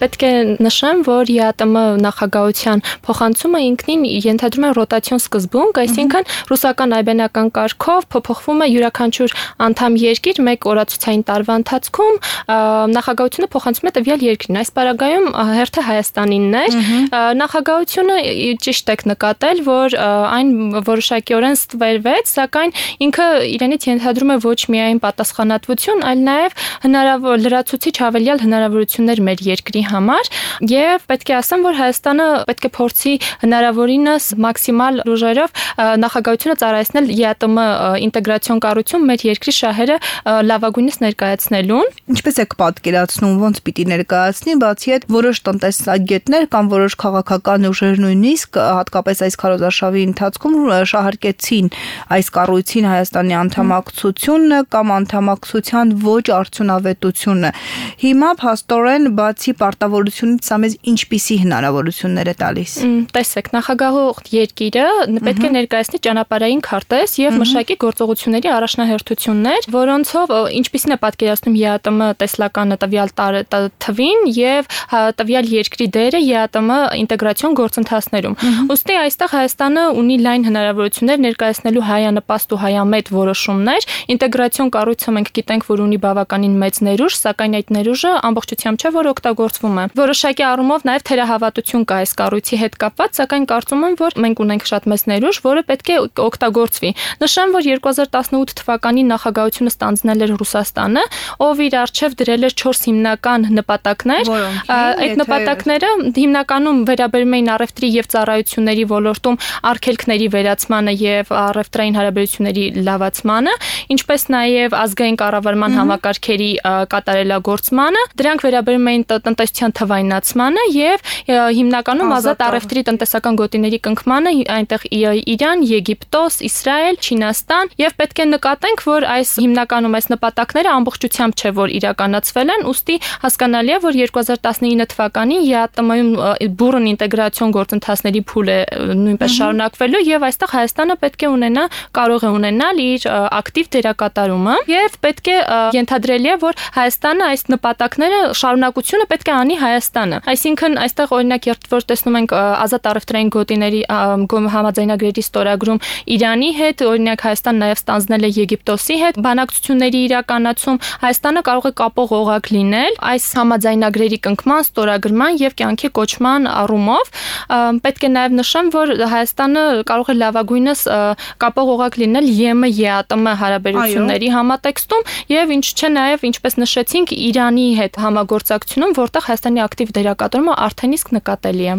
պետք է նշեմ, որ ԵԱՏՄ նախագահության փոխանցումը ինքնին ենթադրում է ռոտացիոն սկզբունք, այսինքն ռուսական այբանական կարգով փոփոխվում է յուրաքանչյուր անդամ երկիր մեկ օրացուցային տարվա ընթացքում նախագահությունը փոխանցում է տվյալ երկրին։ Այս պարագայում հերթը Հայաստանինն էր։ Նախագահությունը ճիշտ եք նկատել, որ այն որոշակիորեն ստվերվեց, սակայն ինքը իրենից ենթադրում է ոչ միայն պատասխանատվություն, այլ նաև հնարավոր լրացուցիչ հավելյալ հնարավորություններ մեր երկրի համար, եւ պետք է ասեմ, որ Հայաստանը պետք է փորձի հնարավորինս մաքսիմալ ուժերով նախագահությունը ծառայեցնել ԵԱՏՄ ինտեգրացիոն կառույցում մեր երկրի շահերը լավագույնս ներկայացնելուն։ Ինչպես եք պատկերացնում, ոնց պիտի ներկայացնի, բացի այդ որոշ տնտեսագետներ կամ որոշ քաղաքական ուժեր նույնիսկ հատկապես այս քարոզարշավի ընթացքում շահարկեցին այս կառույցին Հայաստանի անդամակցությունը կամ անդամակցության ոչ արդյունավետությունը։ Հիմա փաստորեն բացի պարտավորությունից սա մեզ ինչպիսի հնարավորություններ է տալիս։ Տեսեք, նախագահող երկիրը պետք է ներկայացնի ճանապարհային քարտեզ եւ մշակի գործողությունների առաջնահերթություններ, որոնցով ինչպիսին է պատկերացնում ԵԱՏՄ տեսլականը տվյալ թվին եւ տվյալ երկրի դերը ԵԱՏՄ ինտեգրացիոն գործընթացներում։ Ոստի այստեղ Հայաստանը ունի լայն հնարավորություններ ներկայացնելու հայանպաստ ու հայամետ որոշումներ։ Ինտեգրացիոն կառույցը մենք գիտենք, որ ունի բավականին մեծ ներուժ, սակայն այդ ներուժը ամբողջությամբ չէ, որ օգտագործվում է։ Որոշակի առումով նաև թերահավատություն կա այս կառույցի հետ կապված, սակայն կարծում եմ, որ մենք ունենք շատ մեծ ներուժ, որը պետք է օգտագործվի։ Նշեմ, որ 2018 թվականին նախագահությունը ստանձնել էր Ռուսաստանը, ով իր առջև դրել էր 4 հիմնական նպատակներ։ Այդ նպատակները հիմնականում վերաբերում էին առևտրի եւ ծառայությունների ոլորտում արգելքների վերացմանը եւ առևտրային հարաբերությունների լավացմանը, ինչպես նաեւ ազգային կառավարման համակարգերի կատարելագործմանը, դրանք վերաբերում էին տնտեսության թվայնացմանը եւ հիմնականում ազատ առևտրի տնտեսական գոտիների կնքմանը, այնտեղ Իրան, Եգիպտոս, Իսրայել, Չինաստան, եւ պետք է նկատենք, որ այս հիմնականում այս նպատակները ամբողջությամբ չէ, որ իրականացվել են, ուստի հասկանալի է, որ 2019 թվականին ԵԱՏՄ-ում բուրըն ինտեգրացիոն գործընթացների փուլ է նույնպես շարունակվելու եւ այստեղ Հայաստանը պետք է ունենա, կարող է ունենալ իր ակտիվ դերակատարումը եւ պետք է ենթադրելի է, որ Հայաստանը այս նպատակները շարունակությունը պետք է անի Հայաստանը։ Այսինքն այստեղ օրինակ երբ տեսնում ենք ազատ առևտրային գոտիների համաձայնագրերի ստորագրում Իրանի հետ, օրինակ Հայաստանն նաեւ ստանձնել է Եգիպտոսի հետ բանակցությունների իրականացում, Հայաստանը կարող է կապող օղակ լինել այս համաձայնագրերի կնքման, ստորագրման եւ կյանքի կոչման առումով։ Պետք է նաեւ նշեմ, որ Հայաստանը կարող է լավագույնս կապող օղակ լինել ԵՄ-ԵԱՏՄ հարաբերությունների համատեքստում եւ ինչ չէ նաեւ ինչպես նշեցինք Իրանի հետ համագործակցությունում, որտեղ Հայաստանի ակտիվ դերակատարումը արդեն իսկ նկատելի է։